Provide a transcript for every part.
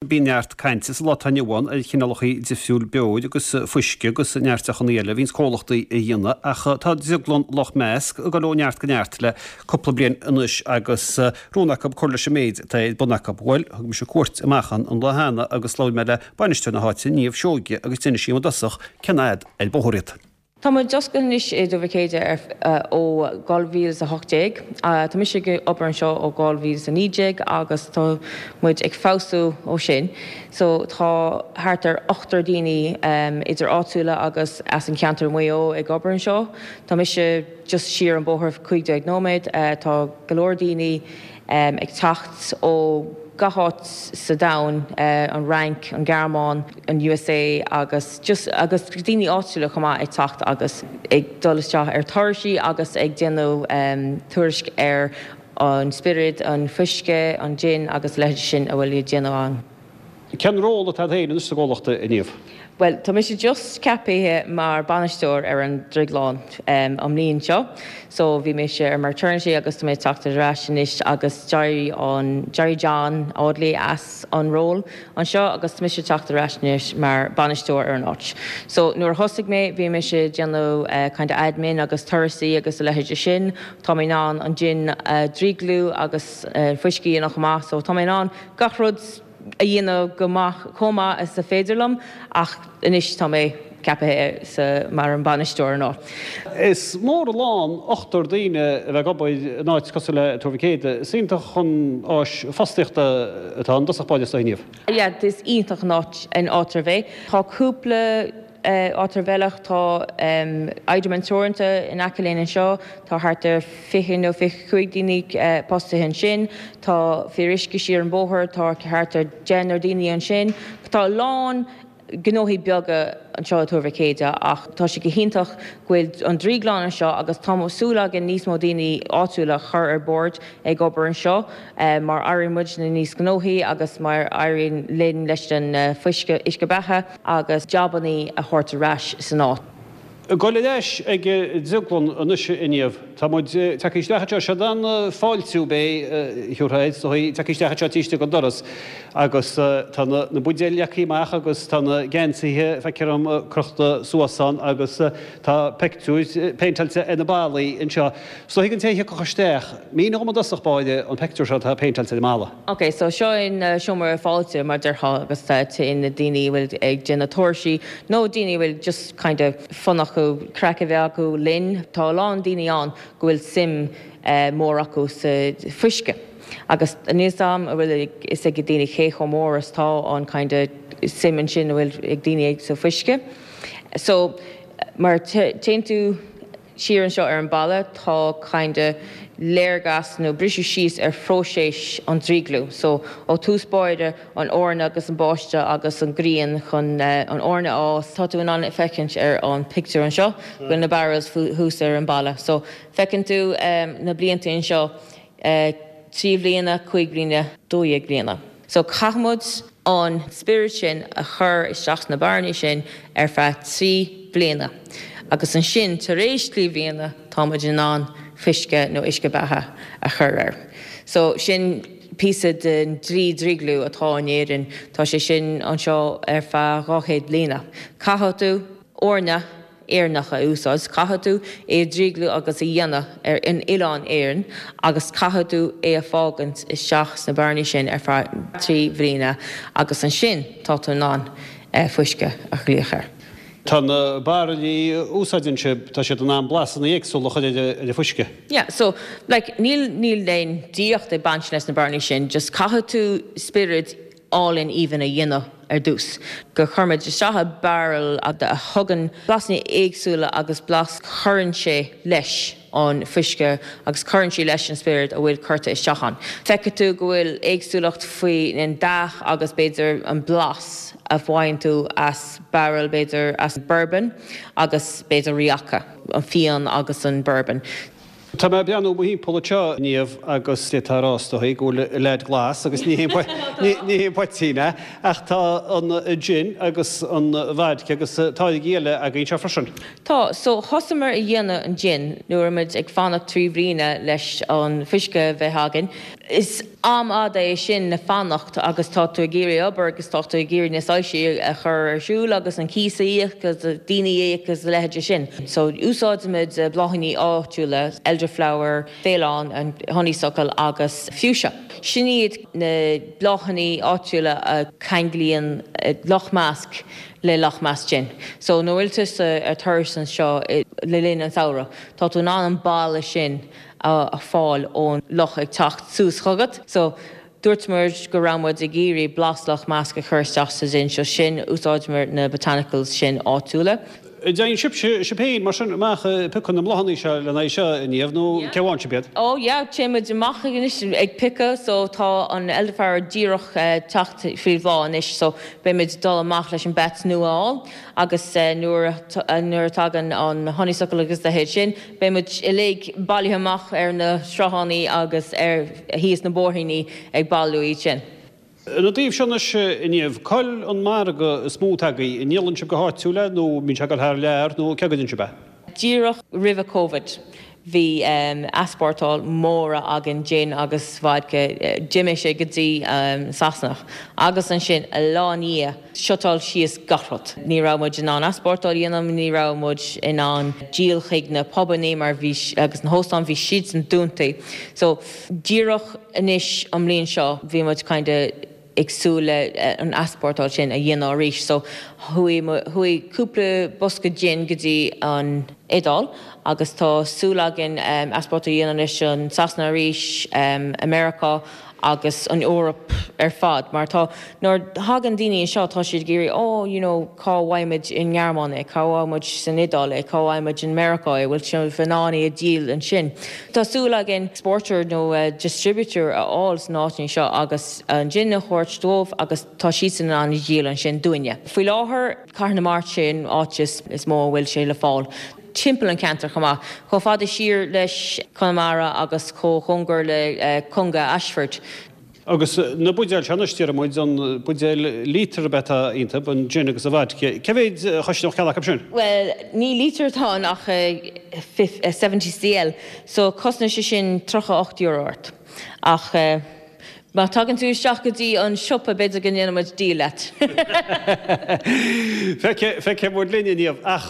Bíonn neart cainte sa lá atá inniu ann ar chineálacha difriúil beoir agus fuisce agus neart deochanna eile a bhíonns comhlachtaí a dhéanamh ach tá Drioglann Loch Measc ag dul ó neart go neart le cúpla bliain anois agus rún acu cur leis an méid atá ar bun acu. Bhuel, thug mise cuairt amach ann an lá cheana agus labhair mé le bainisteoir na háite, Niamh Seoige, agus d'inis sí dom i dtosach cén fhad ar bóthar iad. Tá muid oscailte anois i dTuar Mhic Éadaigh ar ó 2018. Tá mise ag obair anseo ó 2019 agus tá muid ag feabhsú ó sin. So tá thart ar ochtar daoine idir áitiúla agus as an cheantar i Maigh Eo ag obair anseo. Tá mise just siar an bóthar 15 nóiméad. Tá go leor daoine ag teacht ó gach áit sa domhan, an Fhrainc, an Ghearmáin, an USA agus just agus daoine áitiúla chomh maith ag teacht agus ag dul isteach ar turaisí agus ag déanamh tuairisc ar an spiorad, an fuisce, an jin agus a leithéid sin a bhfuil á déanamh ann. Cén ról atá agat féin anois sa gcomhlacht, a Niamh? Bhuel, tá mise just ceapaithe mar bainisteoir ar an drioglann an mbliain seo. So bhí mise ar maternity agus tá mé ag teacht ar ais anois agus d'éirigh an, d'éirigh John Audley as an ról anseo agus tá mise ag teacht ar ais anois mar bainisteoir ar an áit. So nuair a thosaigh mé bhí mise ag déanamh kind of admin agus turasaí agus a leithéide sin. Tá mé in ann an jin a dhrioglú agus fuisce a dhéanamh chomh maith so tá mé in ann gach rud a dhéanamh go maith, chomh maith is a féidir liom ach anois tá mé ceapaithe sa mar an bainisteoir an áit. Is mór an lán ochtar daoine a bheith ag obair in áit cosúil le Tuar Mhic Éadaigh. Is iontach an áis fostaíochta atá ann i dtosach báire is dóigh, Niamh. Yeah, is iontach an áit an áit arbh é. Tá cúpla áit ar bhealach, tá Iderman Teoranta in aice linn anseo, tá thart ar 20 nó 25 daoine postaithe ansin, tá Fíoruisce siar an bóthar, tá thart ar deichniúr daoine ansin. Tá a lán gnóthaí beaga anseo i Tuar Mhic Éadaigh ach tá sé go hiontach go bhfuil an drioglann anseo agus tá súil againn níos mó daoine áitiúla a chur ar bord ag obair anseo mar éiríonn muidne níos gnóthaí agus mar éiríonn linn leis an fuisce, uisce beatha. agus jabannaí a thabhairt ar ais san áit. Ag dul ar ais ag an drioglann anois a Niamh. Tá muid tagtha isteach anseo. Siod an fáiltiú b'é a thiúrfá air, is dóigh, tagtha isteach anseo taobh istigh den doras agus tá na buidéil leagtha amach agus tá na geansaithe, feictear dom, crochta suas ann agus tá peictiúir péinteáilte ar na ballaí anseo. Is dóigh don té a thiocfadh isteach, mínigh dhom i dtosach báire an peictiúr seo atá péinteáilte ar an mballa. Ok, so seo an seomra fáilte mar déarfá agus téann na daoine a bhfuil ag déanamh turaisí nó daoine a bhfuil just kind of fun acu, craic a bheith acu linn. Tá a lán daoine ann go bhfuil suim mór acu sa fuisce agus níl 's a'm an bhfuil a fhios ag daoine cé chomh mór is tá an kind of suim ansin a bhfuil ag daoine sa fuisce. So mar téann tú. Siar anseo ar an balla tá kinda léargas nó briseadh síos ar phróiseas an drioglú. So ó tús báire an eorna agus an báisteach agus an ghrian chun an eorna a fhás. Tá tú in ann feicint ar an pictiúr anseo go bhfuil na barrels thuas ar an balla. So feiceann tú na blianta anseo, 3 bhliana, 5 bliana, 12 bliana. So caithfidh muid an spiorad sin a chur isteach sna bairillí sin ar feadh 3 bliana agus ansin tar éis 3 bhliana tá muid in ann fuisce nó uisce beatha a chur air. So sin píosa den dlí drioglú atá in Éirinn, tá sé sin anseo ar feadh 200 bliana. Caithfidh tú eorna Éireannach a úsáid, caithfidh tú é a dhrioglú agus a dhéanamh ar in Oileán Éireann agus caithfidh tú é a fágaint isteach sna bairillí sin ar feadh 3 bhliana agus ansin tá tú in ann fuisce a ghlaoch air. Tá na bairillí a úsáideann sibh, tá siad in ann blasanna éagsúla a chur ar an bhfuisce. Yeah, so like níl níl aon draíocht ag baint leis na bairillí sin, just caithfidh tú spiorad álainn aoibhinn a dhéanamh ar dtús, go chuirimid isteach i barrel a thugann blasanna éagsúla agus blas cuireann sé leis an fuisce agus cuireann sé leis an spiorad a bhfuil curtha isteach ann. Feicfidh tú go bhfuil éagsúlacht faoi an dath agus b'fhéidir an blas a bhfaigheann tú as barrel b'fhéidir as bourbon agus b'fhéidir Rioja, an fíon agus an bourbon. Tá mé ag breathnú mo thimpeall anseo, Niamh, agus d'fhéadfá a rá is dóigh go bhfuil an leaid glas agus ní hé an poitín é, ach tá an gin agus an vodka agus táirgí eile againn anseo freisin. Tá, so thosamar a dhéanamh an gin nuair a muid ag fanacht 3 bhliana leis an fuisce a bheith againn. Is. Am fhada é sin le fanacht agus tá tú ag iarraidh obair agus tá tú ag iarraidh na soilsí a chur ar siúl agus an cíos a íoc agus daoine a íoc agus a leithéide sin. So úsáidimid bláithíní áitiúla, elderflower, faoileán, an honeysuckle agus fuchsia. Sin iad na bláthanna áitiúla a cheanglaíonn Loch Measc le Loch Measc Gin. So nuair a bhfuil tusa ar turas anseo le linn an samhradh, tá tú in ann an boladh sin a fáil ón loch ag teacht suas chugat. So, dúirt muid go raibh muid ag iarraidh blas Loch Measc a chur isteach sa gin so sin úsáideamar na botanicals sin áitiúla. Téann sibhse, sibh féin, mar sin, amach ag piocadh na mbláthanna seo lena aghaidh seo, a Niamh, nó cé bhfaigheann sibh iad? Oh yeah, téann muid amach anois ag piocadh so tá an elderflower díreach teacht faoi bhláth anois so beidh muid ag dul amach leis an batch nua a fháil agus nuair nuair a tagann an honeysuckle agus a leithéid sin Beidh muid uilig bailithe amach ar na sruthánaí agus ar thíos na bóithríní ag bailiú iad sin. Ina dtaobh seo anois, a Niamh, cá'il an margadh is mó atá agaibh? An ndíolann sibh go háitiúil é nó an mbíonn sé ag dul thar lear nó cé go dtéann sibh é? Díreach roimhe Covid bhí easpórtáil móra againn gin agus vodka, d'imigh sé go dtí Sasana agus ansin lá i ndiaidh shutáil síos gach rud. Ní raibh muid in ann easpórtáil a dhéanamh, ní raibh muid in ann díol chuig na pubannaí mar bhí, agus na hóstáin, bhí siadsan dúntaí. So, díreach anois an mbliain seo bhí muid kinda ag súil le an easpórtáil sin a dhéanamh arís. So, chuaigh, chuaigh cúpla bosca gin go dtí an Iodáil agus tá súil againn easpórtáil a dhéanamh anois an Sasana arís, Americá agus an Eoraip ar fad mar tá, nuair a thagann daoine anseo tá siad ag iarraidh oh you know cá bhfaighimid i nGearmáin é, cá bhfaighimid san Iodáil é, cá bhfaighimid in Meiriceá é, bhfuil sibh in ann é a dhíol ansin. Tá súil againn exporter nó distributor a fháil sna áiteanna seo agus an gin a thabhairt dóibh agus tá siadsan in ann a dhíol ansin dúinne. Faoi láthair, Cathair na Mart sin áit is mó a bhfuil sé le fáil. Timpeall an ceantar chomh maith. Chomh fada siar leis Conamara agus chomh cóngar le Conga Ashford. Agus na buidéil seo anois, déarfaidh muid, an buidéal lítear ab ea atá iontu, an gin agus an vodka. Cé mhéid a chosnódh ceann acu sin? Bhuel, ní lítear atá ann ach 70 cl, so cosnóidh sé sin €38 ort. Ach má tagann tú isteach go dtí an siopa b'fhéidir go ndéanfaidh muid deal leat. Feicfidh muid linn, a Niamh. Ach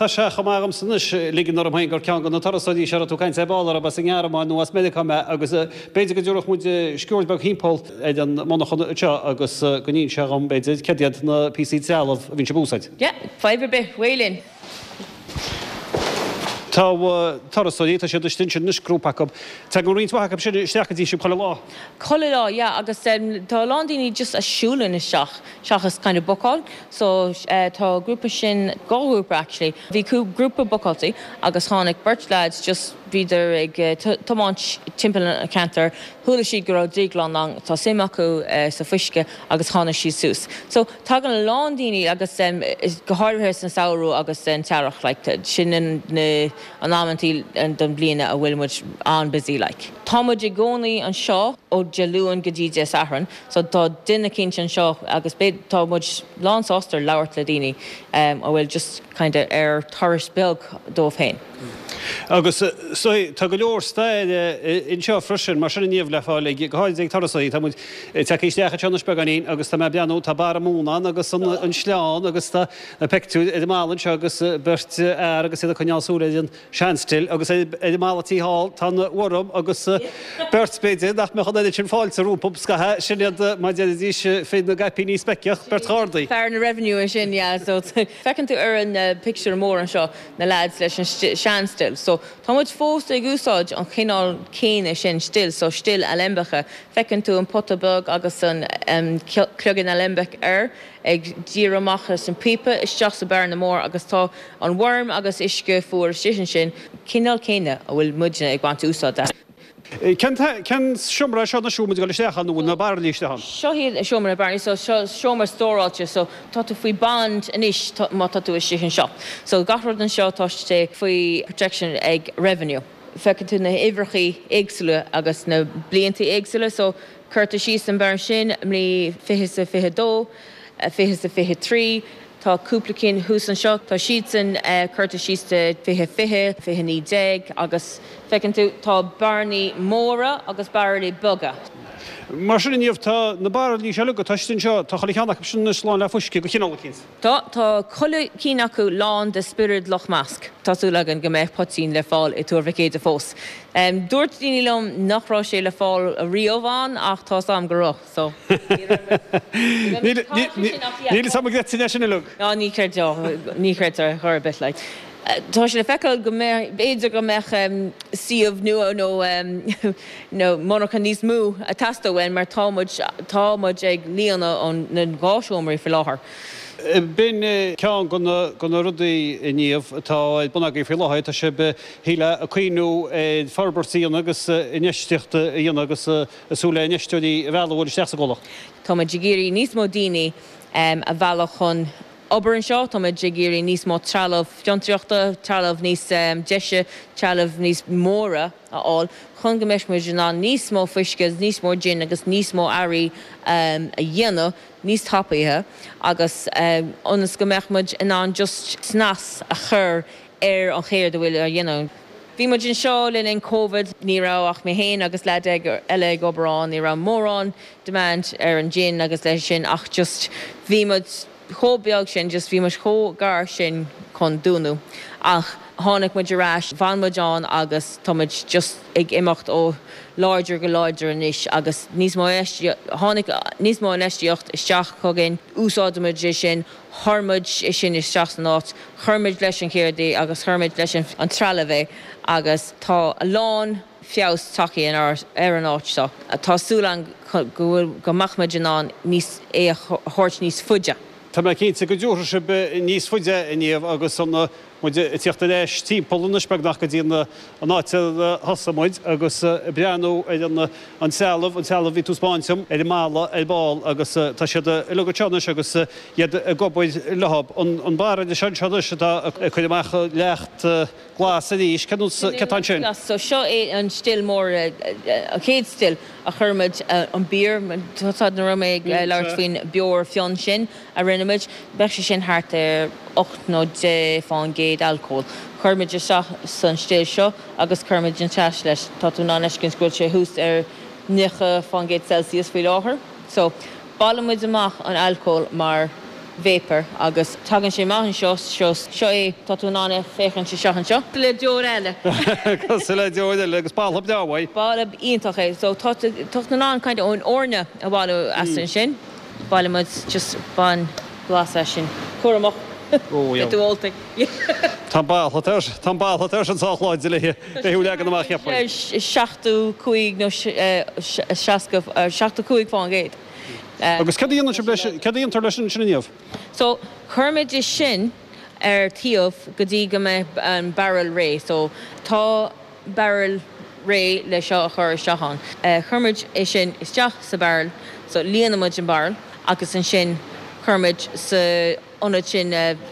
tá sé chomh maith agamsa anois ligean orm féin gur ceann de na turasóirí seo a raibh tú ag caint ar ball orthu as an nGearmáin nó as Meiriceá mé agus b'fhéidir go dtabharfadh muid sciuird beag thimpeall ar an monarchan anseo agus go n-inseofá dhom b'fhéidir céard iad na píosaí trealaimh a bhíonn sibh a úsáid. Yeah, fadhb ar bith, way linn. Tá turasóirí, tá siad istigh ansin anois, grúpa acu. Tagann roinnt mhaith acu sin isteach go dtí sibh chuile lá. Chuile lá, yeah, agus tá a lán daoine just a siúlann isteach seachas kind of bookáil. So tá grúpa sin, dhá ghrúpa actually. Bhí grúpa bookáilte agus tháinig beirt lads just bhíodar ag tiomáint timpeall an cheantair, chuala siad go raibh drioglann ann, tá suim acu sa fuisce agus tháinig siad suas. So Tagann a lán daoine agus go háirithe san samhradh agus san t-earrach like sin na an amantaí don bliana a bhfuil muid an-busy like. Tá muid i gcónaí anseo ó Dé Luain go dtí Dé Sathairn so tá duine eicínt anseo agus beidh tá muid lán sásta labhairt le daoine a bhfuil just kinda ar turas beag dóibh féin. Agus so tá go leor staire anseo freisin, mar sin a Niamh le fáil ag, go háirid ag turasóirí. Tá muid tagtha isteach anseo anois beagáinín agus tá mé ag breathnú, tá barra móna ann agus an sleán agus tá na peictiúir ar an mballa anseo agus beirt fhear agus iad ag coinneáil súil ar an sean-still agus ar an mballa thiar thall tá an worm agus beirt b'fhéidir nach mbeadh an oiread sin fáilte rompu scaithe, sin iad mar déarfaidís fir na gcaipíní speiceach, beirt ghardaí. Fear na revenue ansin, yeah, so feiceann tú ar an pictiúr mór anseo na lads leis an sean-still. So, tá muid fós ag úsáid an chineál céanna sin still, so still alembice. Feiceann tú an pota beag agus an cloigeann alembic air ag díriú amach as an píopa isteach sa bearna mór agus tá an worm agus uisce fuar istigh ansin, cineál céanna a bhfuil muidne ag baint úsáid as. Cén cén seomra é seo anois a bhfuil muid ag dul isteach ann nó bhfuil na bairillí istigh ann? Seo iad seomra na bairillí, so seo seomra stóráilte so tá tú faoi bond anois má tá tú istigh anseo. So gach rud anseo tá sé faoi protection ag Revenue. Feiceann tú na huimhreachaí éagsúla agus na blianta éagsúla so curtha síos an bearna sin mbliain 20 's a 22, 20 's a 23, Tá cúpla cinn thuas anseo, tá siadsan curtha síos do 2020, 2019 agus feiceann tú, tá bearnaí móra agus bairillí beaga. Mar sin, a Niamh, tá na bairillí seo uilig atá istigh anseo, tá chuile cheann acu sin anois lán le fuisce de chineál eicínt. Tá, tá chuile cinn acu lán de spiorad Loch Measc. Tá súil againn go mbeidh poitín le fáil i Tuar Mhic Éadaigh fós. Dúirt daoine liom nach raibh sé le fáil riamh ann ach tá's a'm go raibh, so ní raibh muid, ní raibh muid, Níl fhios a'm an gcreidfinn é sin uilig. Ná ní chreidfeá, ní chreidfeá ar chor ar bith like. Tá sé le feiceáil go mbeidh, b'fhéidir go mbeadh suíomh nua nó nó monarcha níos mó ag teastáil uainn mar tá muid, tá muid ag líonadh an, na dhá seomraí faoi láthair. B'in ceann de na, de na rudaí, a Niamh, atá ar bun agaibh faoi láthair, tá sibh, shílfeá, ag cuimhniú ar forbairt a dhéanamh agus infheistíocht a dhéanamh agus ag súil le infheisteoirí a mhealladh a dhul isteach sa gcomhlacht. Tá muid ag iarraidh níos mó daoine a mhealladh chun obair anseo. Tá muid ag iarraidh níos mó trealamh fiontraíochta, trealamh níos deise, trealamh níos móra a fháil chun go mbeidh muid in ann níos mó fuisce agus níos mó jin agus níos mó earraí a dhéanamh níos tapaithe agus ionas go mbeadh muid in ann just snas a chur ar an chéard a bhfuil á dhéanamh. Bhí muid anseo le linn Covid, ní raibh ach mé féin agus leaid eile ag obair ann, ní raibh mórán demand ar an gin agus leis sin ach just bhí muid chomh beag sin, just bhí muid chomh gar sin chun dúnadh ach tháinig muid ar ais, bhain muid ann agus tá muid just ag imeacht ó láidir go láidir anois agus níos mó, tháinig níos mó infheistíocht isteach chugainn, úsáideann muid é sin, chuir muid é sin isteach san áit, chuir muid leis an cheird é agus chuir muid leis an trealamh é agus tá a lán feabhas tagtha ar an áit seo. Tá súil agam go bhfuil, go mbeadh muid in ann níos, é a thabhairt níos faide. Tá mé cinnte go dtabharfaidh sibh níos faide a Niamh agus an muid ag tíocht ar ais timpeall anois beagnach go dtí an áit ar thosaigh muid agus ag breathnú ar an an trealamh, an trealamh a bhí tú ag 'spáint dom ar an mballa ar ball agus tá siad uilig anseo anois agus iad ag obair leo. An bairille seo anseo anois atá ag cur amach leacht glas arís, cad atá ansin? So seo é an still mór, an chéad still a chuir muid an beoir, tá nuair a raibh mé ag labhairt faoin beoir fionn sin a rinne muid, bheadh sé sin thart ar 8 nó 10 fán gcéad alcól. Chuir muid isteach san still seo agus chuir muid an teas leis. Tá tú in ann fheiscint go bhfuil sé thuas ar 90 fán gcéad Celsius faoi láthair. So, Baileann muid amach an alcól mar vapor agus tagann sé amach anseo, seo, seo é, tá tú in ann é féachaint isteach anseo. Cosúil le deoir eile. Cosúil le deoir eile agus boladh breá uaidh. Boladh iontach é. So tá tú, tá tú in ann kind of an eorna a bhailiú as ansin. Baileann muid just bain blas as sin. Cúramach. Ó yeah. Beidh tú ólta. Tá an boladh air, tá an boladh air sin sách láidir le le thú leagan amach cheapfainn. 75 nó 60, 75 fán gcéad. Agus céard a dhéanann sibh leis, céard a dhéantar leis sin a Niamh? So, cuirimid é sin ar taobh go dtí go mbeidh an barrel réidh. So, tá barrel réidh le seo a chur isteach ann. Cuirimid é sin isteach sa barrel, so líonaimid an barrel agus ansin cuirimid sa ionad sin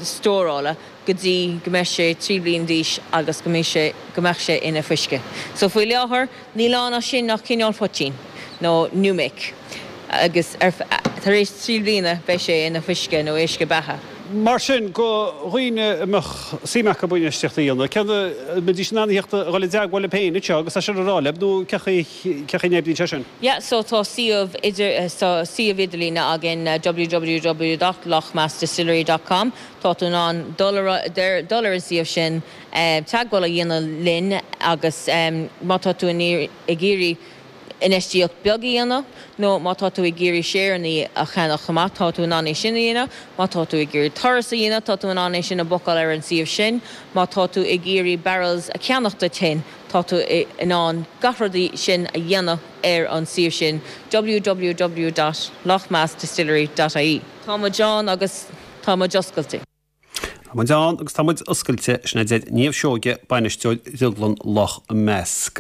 stórála go dtí go mbeidh sé 3 bliana d'aois agus go mbeidh sé, go mbeadh sé ina fuisce. So faoi láthair níl ann ach sin ach cineál poitín nó new make agus ar, tar éis 3 bliana beidh sé ina fuisce nó uisce beatha. Mar sin, do dhaoine a mbeadh suim acu infheistíocht a dhéanamh, cén, an mbeidís in ann a theacht a dhul i dteagmháil libh féin anseo agus é sin a rá libh nó cén chaoi, cén chaoi a n-oibríonn sé sin? Yeah, so tá suíomh idir, tá suíomh idirlíne againn www dot loughmaskdistillery dot com. Tá tú in ann dul ar, dul ar an suíomh sin, teagmháil a dhéanamh linn agus má tá tú ag iarraidh infheistíocht beag a dhéanamh nó má tá tú ag iarraidh séireanna a cheannach chomh maith, tá tú in ann é sin a dhéanamh. Má tá tú ag iarraidh turas a dhéanamh, tá tú in ann é sin a bhookáil ar an suíomh sin. Má tá tú ag iarraidh barrels a cheannach duit féin, tá tú in ann gach rud sin a dhéanamh ar an suíomh sin www dot loughmaskdistillery dot ie. Tá muid ann agus tá muid oscailte. Tá muid ann agus tá muid oscailte, sin a deir Niamh Seoige, Bainisteoir Dhrioglann Loch Measc.